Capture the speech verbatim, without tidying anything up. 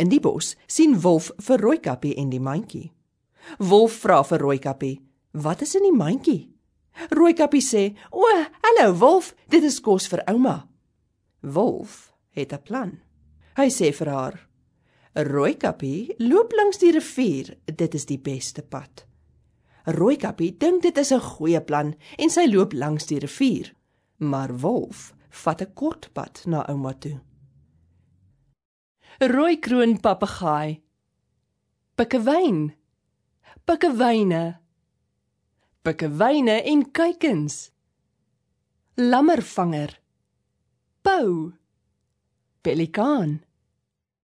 In die bos sien Wolf vir Rooikappie en die mandjie. Wolf vra vir Rooikappie, wat is in die mandjie? Rooikappie sê, o, hallo Wolf, dit is kos vir ouma. Wolf het 'n plan. Hy sê vir haar, Rooikappie, loop langs die rivier, dit is die beste pad. Rooikappie dink dit is 'n goeie plan en sy loop langs die rivier, maar Wolf vat 'n kort pad na ouma toe. Rooikroon papegaai, pikkewyn, pikkewyne, pikkewyne en kuikens, lammervanger, pauw, pelikaan,